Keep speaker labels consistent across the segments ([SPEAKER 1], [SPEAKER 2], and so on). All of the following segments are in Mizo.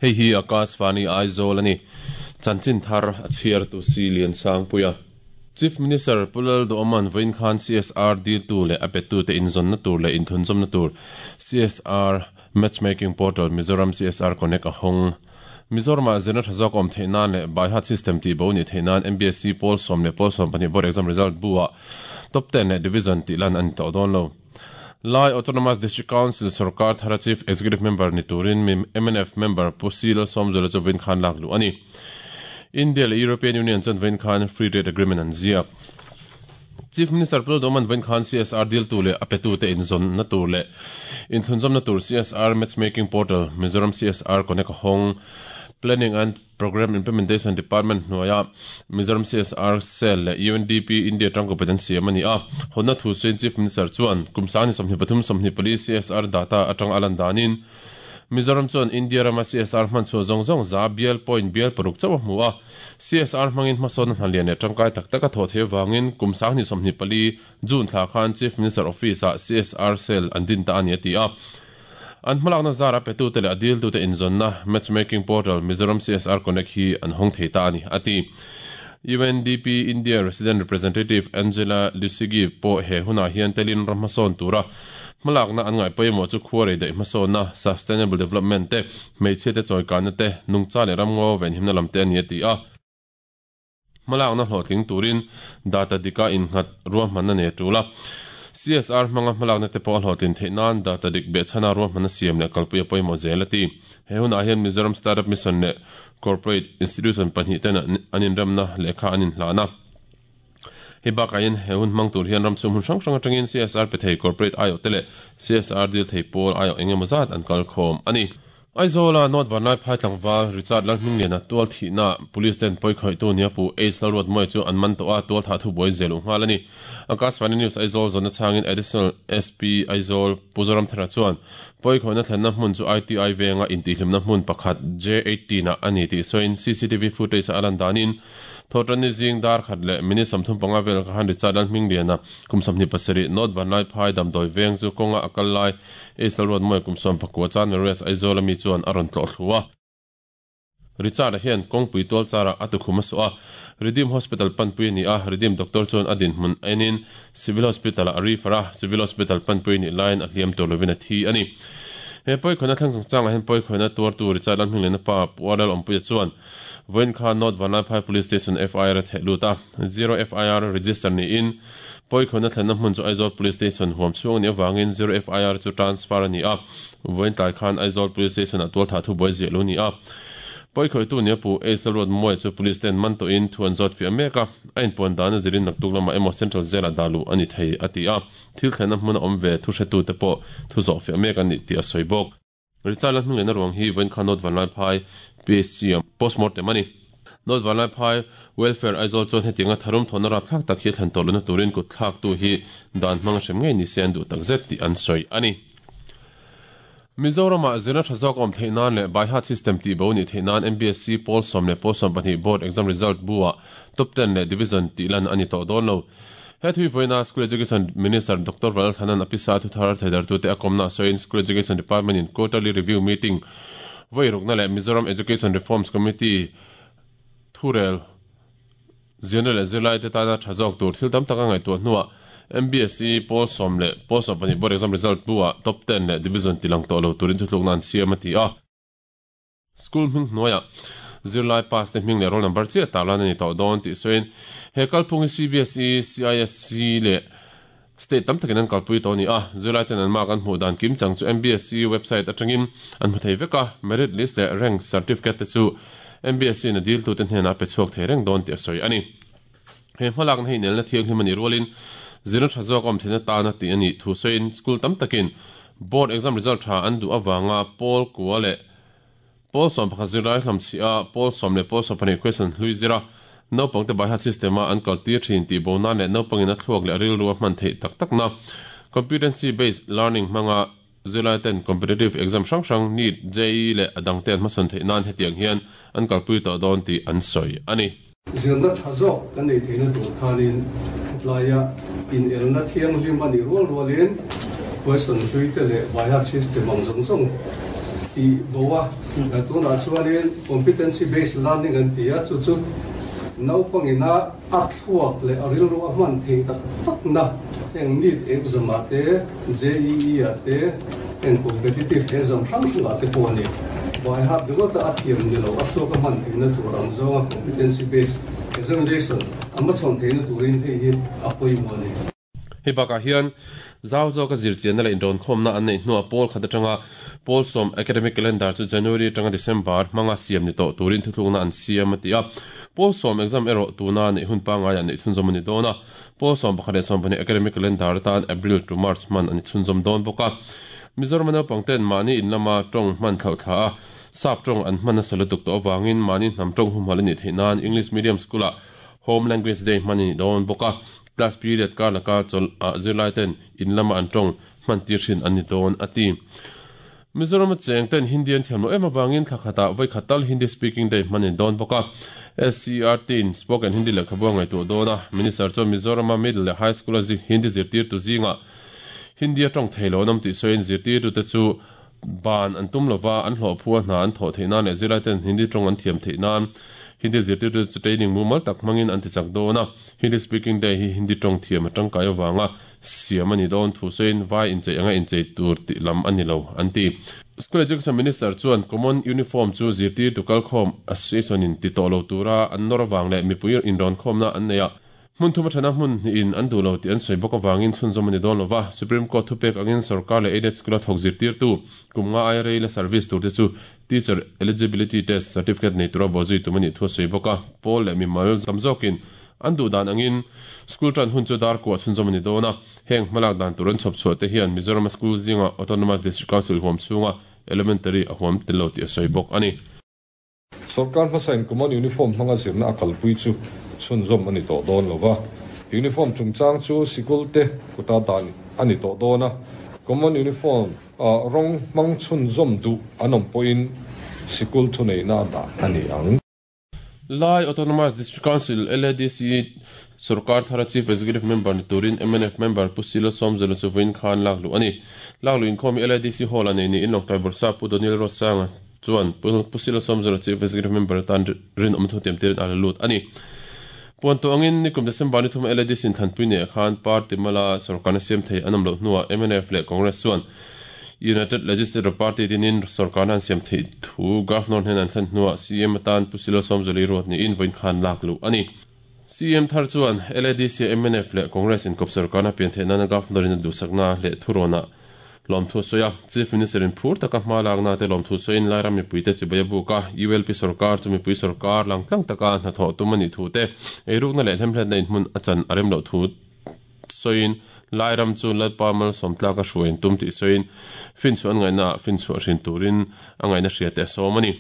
[SPEAKER 1] Hei hi Akashvani Aizawl a ni. Chanchin thar a chhiar tu si Liansangpuia. Chief Minister Pu Lalduhawma'n vawiin khan CSR diltu leh a pettute inzawnna tur leh inthunzawmna tur CSR Matchmaking Portal Mizoram CSR Connect a hawng. Mizoramah zirna tha zawk awm theih nan leh Baihat System tihbo nih theih nan MBSE pawl sawm leh pawl 12 Board Exam Result bu-ah Top Ten leh Division tih lan a ni tawh dawn lo. Lai Autonomous District Council sorkar thara Chief Executive Member ni turin mnf member Pu C Lalsawmzuala chu vawiin khan lak luh a ni. India leh European Union chuan vawiin khan Free Trade Agreement an ziak. Chief Minister Pu Lalduhawma'n vawiin khan CSR diltu leh a petute inzawnna tur leh inthlunzawmna tur CSR Matchmaking Portal Mizoram CSR Connect a hawng. Planning and Programme Implementation Department hnuaia Mizoram CSR Cell leh UNDP India tangkawpet an siam a ni a. Hawnna thu suiin Chief Minister chuan kum sangni 23 24 CSR data atanga a lan danin Mizoram chuan India rama CSR hman chhuah zawng zawng za bial point bial paruk chauh a hmu a. CSR hmangin hmasawnna hna lian leh tangkai tak tak a thawh theih avangin kum sangni 24 June thla khan Chief Minister Office-ah CSR Cell an din ta a ni a ti a. An hmalakna zara petute leh a diltute inzawnna Matchmaking Portal Mizoram CSR Connect hi an hawng thei ta a ni, a ti. UNDP India Resident Representative Angela Lusigi pawh he hunah hian telin ram hmasawn tura hmalakna an ngaih pawimawh chu khua rei daih hmasawnna, sustainable development, te, hmeichhiate chawikanna te, nungcha leh ramngaw venhimna lam te a ni a ti a. Hmalakna hlawhtling turin data dika innghat ruahmanna nei a tul a. CSR hmanga hmalakna te pawh a hlawhtlin theih nan data dik behchhana ruahmanna siam leh kalpui a pawimawh zel a ti. He hunah hian Mizoram Startup Mission leh Corporate Institution pahnih ten an inremna lehkha an inhlan a. Hei bakah hian he hun hmang tur hian ramchhung hmun hrang hrang atangin CSR pe thei corporate aiawh te leh CSR dil thei pawl aiawh engemaw zat an kalkhawm a ni. Aizawla North Vanlaiphai tlangval Richard Lalhmingliana tual thihna Police ten pawi khawihtu nia pu Ace Lalruatmawia chu an man tawh a, tual thah thubuai zel uh nghal a ni. Akashvani News Aizawl zawnna chhangin Additional SP Aizawl Pu Zoramthara chuan pawi khawihna thlenna hmun chu ITI venga intihhlimna hmun pakhat J18 ah a ni tih sawiin CCTV footage a lan danin Thawhtanni zing dar khat leh minute 35 vel kha han Richard Lalhmingliana kum 27 North Vanlaiphai damdawi veng chu kawnga a kal lai Aisal Ruatmawia kum 19 chan Marius Aizawl ami chuan a rawn tlawh thlu a. Richard-a hian kawngpui tual charah a tukhum a suah a, Redeem Hospital panpui a ni a, Redeem doctor chuan a dinhmun a enin Civil Hospital-ah a refer a, Civil Hospital panpui a nih laiin a hliam tur lovin a thi a ni. He pawikhawihna thleng chungchangah hian pawikhawihna tuartu Richard Lalhmingliana pa Pu Arlal Awmpuia chuan Vawiin khan North Vanlaiphai Police Station FIR a theh lut a, Zero FIR register niin pawikhawihna thlenna hmun chu Aizawl Police Station huam chhung a nih avangin Zero FIR chu transfer a ni a, vawiin tlai khan Aizawl Police Station-ah tualthah thubuai ziah lo ni a. Pawikhawihtu nia pu Aisel Ruatmawia chu Police ten man tawhin thu an zawt fiah mek a, a inpuan dan a zirin naktuk lamah emaw Central Jail-ah dah luh a ni thei a ti a, thil thlenna hmuna awm ve thuhretute pawh thu zawh fiah mek a ni tih a sawi bawk. Richard Lalhmingliana ruang hi vawiin khan North Vanlaiphai PHC ah postmortem a ni. North Vanlaiphai Welfare Aizawl chuan hetianga tharum thawhna rapthlak tak hi a thlen tawh lohna turin kut thlaktu hi dan hmang hrem ngei ni se an duh takzet tih an sawi a ni. Mizoramah zirna tha zawk awm theih nan leh Baihat system tihbo nih theih nan MBSE pawl sawm leh pawl 12 board exam result bu-ah top ten leh division tih lan a ni tawh dawn lo. He thui vawiina School Education Minister Doctor Valthanan a pisa thuthar theidartute a kawmna sawiin School Education Department in Quarterly Review Meeting vawi rukna leh Mizoram Education Reforms Committee thurel zirna leh zirlaite tana tha zawk tur thil tam tak a ngaihtuah hnuah MBSE pawl sawm leh pawl 12 board exam result bu-ah top ten leh division tilang tawh lo turin thutlukna an siam a ti a. School hming hnuaiah zirlai pass te hming leh roll number chiah tarlan a ni tawh dawn tih sawiin he kalphung hi CBSE, CISC leh state tam takin an kalpui tawh a ni a. Zirlai ten an mark an hmuh dan kim chang chu MBSE website atangin an hmu thei vek a, merit list leh rank certificate te chu MBSE in a diltute hnenah a pe chhuak thei reng dawn tih a sawi a ni. He hmalakna hi inelna thianghlim a nih rualin zirna tha zawk a awm theihna tana tih a nih thu sawiin school tam takin board exam result tha an duh avanga pawl kua leh pawl 11 zirlai hlamchhih a pawl sawm leh pawl 12 question hlui zira naupangte baihat system a an kaltir thin tih bo nan leh naupangin a thluak leh a rilru a hman theih tak takna competency based learning hmanga Zirlai ten competitive exam hrang hrang NEET, JEE leh a dangte an hmasawn theih nan hetiang hian an kalpui tawh dawn tih an sawi a ni.
[SPEAKER 2] Zirna tha zawk kan nei theihna tur khanin tlaia inelna thianghlim a nih rual rualin question hlui te leh baihat system ang zawng zawng tih bo a, tunah chuanin competency based learning an ti a, chu chu naupangina a thluak leh a rilru a hman theih tak takna heng NEET exam ah te, JEE ah te, heng competitive exam hrang hrang ah te pawh a ni. By heart ringawta a thiam ni lo, a thluak a hman theihna tur ang zawnga competency based examination a hmachhawn theihna turin hei hi a pawimawh a ni.
[SPEAKER 1] Hei bakah hian zau zawka zirchianna leh inrawnkhawmna an neih hnuah pawl khat atanga pawl sawm academic calendar chu January atanga December hmanga siam ni tawh turin thuthlukna an siam a ti a. Pawl sawm exam erawh tuna neih hun pangaiah neih chhunzawm a ni dawn a. Pawl 11 leh 12 academic calendar atan April to March hman a ni chhunzawm dawn bawk a. Mizoram a naupang ten mahni in lama tawng hman thlauh thla a, sap tawng an hman nasa lutuk tawh avangin mahni hnam tawng humhalh a nih theih nan English medium school ah Home Language Day hman a ni dawn bawk a, class period kar laka chawlh ah zirlai ten in lama an tawng hman tir thin an ni dawn a ti. Mizoram a cheng ten Hindi an thiam loh em avangin thla khatah vawi khat tal Hindi Speaking Day hman a ni dawn bawk a, SCERT in Spoken Hindi lehkhabu a ngaihtuah dawn a, Minister chuan Mizoram a Middle leh High School a Hindi zirtirtu zingah Hindi a tawng thei lo an awm tih sawiin zirtirtute chu Ban an tum lova, an hlawhphu a hna an thawh theih nan leh zirlaiten Hindi tawng an thiam theih nan Hindi zirtirtu chu training mumal tak hmangin an tichak dawn a. Hindi Speaking Day hi Hindi tawng thiam a tangkai avanga siam a ni dawn thu sawiin vai inchei anga inchei tur tih lam a ni lo, an ti. School Education Minister chuan Common Uniform chu zirtirtu kalkhawm Association in ti tawh lo tura an nawr avang leh mipui inrawnkhawmna an nei a, Hmun thum athana hmun hnihin an duh lo tih an sawi bawk avangin chhunzawm a ni dawn lo va, Supreme Court thupek angin sorkar leh aided school-a thawk zirtirtu kum nga aia rei la service turte chu Teacher Eligibility Test certificate nei tura bawhzui tum a nih thu a sawi bawk a, pawl leh mimal tam zawkin an duh dan angin school tan hun chu dar kuah chhunzawm a ni dawn a, heng hmalak dan tur an chhawp chhuah te hian Mizoram-a school zinga Autonomous District Council huam chhunga Elementary a huam tel lo tih a sawi bawk a ni.
[SPEAKER 3] Sorkar hmasain Common Uniform hmanga zirna a kalpui chu chhunzawm a ni tawh dawn lo va, Uniform chungchang chu sikul te kuta dan a ni tawh dawn a, Common Uniform rawng hmang chhunzawm duh an awm pawhin sikul thuneihna a dah a ni ang.
[SPEAKER 1] Lai Autonomous District Council, LADC, sorkar thara Chief Executive Member ni turin mnf member Pu Silo Sawmzela chu vawiin khan lak luh a ni. Lak luh inkhawm hi LADC Hall-ah nei niin Lawngtlai Bawrhsap Pu Daniel Ruatsanga chuan Pu Silo Sawmzela Chief Executive Member atan rinawm thu tiamtirin a la lut a ni. Puan tawh angin nikum December ni thuma LADC inthlanpui neih khan party mala sorkarna siam thei an awm loh hnuah mnf leh Congress chuan United Legislative Party dinin sorkarna an siam theih thu Governor hnena an thlen hnuah CM atan Pu Silo Sawmzeli ruat niin vawiin khan lak luh a ni. CM thar chuan LADC a mnf leh Congress inkawp sorkarna pian theih nana Governor in a duhsakna leh thurawnah lawmthu a sawi a. Chief Minister in phur taka hma lakna te lawmthu sawiin Lairam mipuite chibai a buk a, ULP sorkar chu mipui sorkar langtlang taka hnathawh tum a nih thu te, eirukna leh hlemhletna inhmun a chan a rem loh thu sawiin Lairam chu Lalpa malsawm tlak a hruai an tum tih sawiin finchhuah an ngaihnaah finchhuah hrin turin a ngaihna hria te a sawm a ni.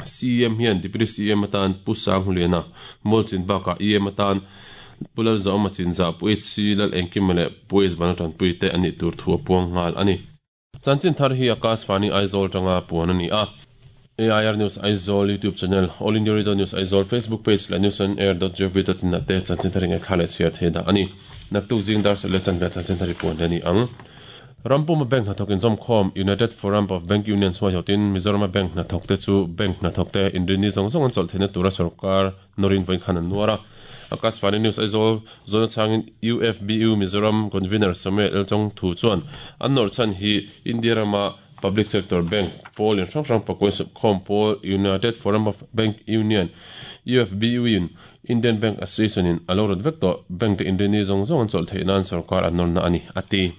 [SPEAKER 1] CEM hian Deputy CEM atan Pu Sanghuliana Mawlchin bakah EM atan Pu Lalzawma Chinzah, Pu HC Lalengkima leh Pu H Vanlaltanpui te an nih tur thu a puang nghal a ni. Chanchin thar hi Akashvani Aizawl tanga puan a ni a. AIR News Aizawl YouTube channel, All India Radio News Aizawl Facebook page leh newsonair.gov.in ah te chanchin thar hi ngaihthla leh chhiar thei dah a ni. Naktuk zing dar serh leh chanve chanchin thar hi puan leh a ni ang. Rampuma bank hnathawk inzawmkhawm United Forum of Bank Unions huaihawtin Mizorama bank hnathawkte chu bank hnathawkte inrinni zawng zawng an chawlh theihna tura sorkar nawrin vawiin khan an nuar a. Akashvani News Aizawl zawn achangin UFBU Mizoram Convener Samuel Elchong thu chuan an nawrh chhan hi India rama Public Sector Bank pawl in hrang hrang pakuain supkhawm pawl United Forum of Bank Union, UFBU, in Indian Bank Association in a lo rawt vek tawh. Bank te inrinni zawng zawng an chawlh theih nan sorkar an nawrna a ni, a ti.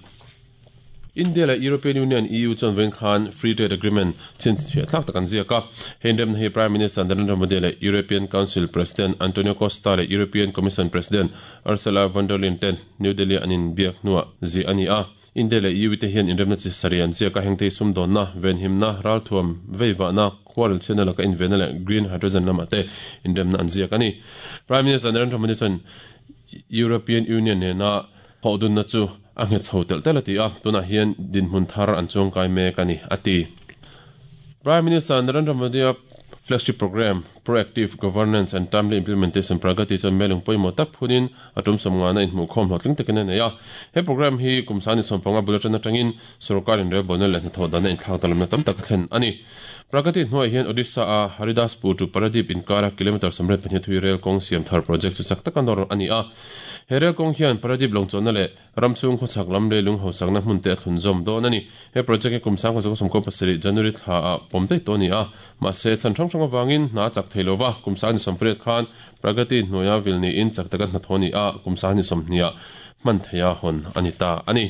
[SPEAKER 1] India leh European Union, EU, chuan vawiin khan Free Trade Agreement chhinchhiah thlak tak an ziak a. He inremna hi Prime Minister Narendra Modi leh European Council President Antonio Costa leh European Commission President Ursula von der Leyen ten New Delhi-a an inbiak hnuah ziah a ni a. India leh EU te hian inremna chi sarih an ziak a, hengte hi sumdawnna, venhimna, ralthuam, veivahna, khuarel chhiatna laka invenna leh green hydrogen lamah te inremna an ziak a ni. Prime Minister Narendra Modi chuan European Union nena Thawhdunna chu a nghet chho telh telh a ti a, tunah hian dinhmun thar an chuangkai mek a ni, a ti. Prime Minister Narendra Modi-a Flagship Programme, Proactive Governance and Timely Implementation, Pragati chuan melung pawimawh tak phunin a tum sawmngana inhmuhkhawm hlawhtling takin a nei a. He programme hi kum sani sawmpanga bul atan atangin sorkar inrelbawlna leh hnathawh dana inthlak dalamna tam tak a thlen a ni. Pragati hnuaiah hian Odisha-a Haridaspur to Paradip inkara kilometre 82 thui rel kawng siam thar project chu chak taka nawr a ni a. He rel kawng hian Paradip lawngchawlhna leh ram chhung khawchhak lam leilung hausakna hmun te a thlunzawm dawn a ni. He project hi kum 1997 January thla ah pawm daih tawh a ni a, mahse chhan hrang hrang avangin hna a chak thei lo va, kum 28 khan Pragati hnuaia vil niin chak taka hnathawh a ni a, kum 20 ah hman theiha hawn a ni ta a ni.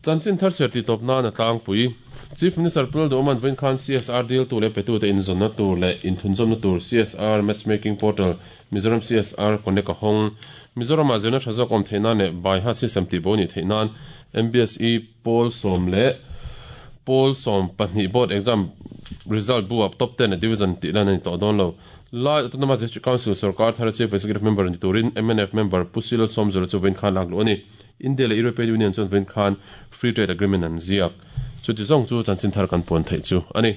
[SPEAKER 1] Chanchin thar chhiar tih tawp nan a tlangpui. Chief Minister Pu Lalduhawma'n vawiin khan CSR diltu leh petute inzawnna tur leh inthlunzawmna tur CSR Matchmaking Portal Mizoram CSR Connect a hawng. Mizoramah zirna tha zawk awm theih nan leh Baiha system tihbo nih theih nan MBSE pawl sawm leh pawl 12 board exam result bu ah top ten leh division tih lan a ni tawh dawn lo. Lai Autonomous District Council sorkar thara Chief Executive Member ni turin mnf member Pu Silo Sawmzula chu vawiin khan lak luh a ni. India leh European Union chuan vawiin khan Free Trade Agreement an ziak. Chuti zawng chu chanchin thar kan puan theih chu a ni.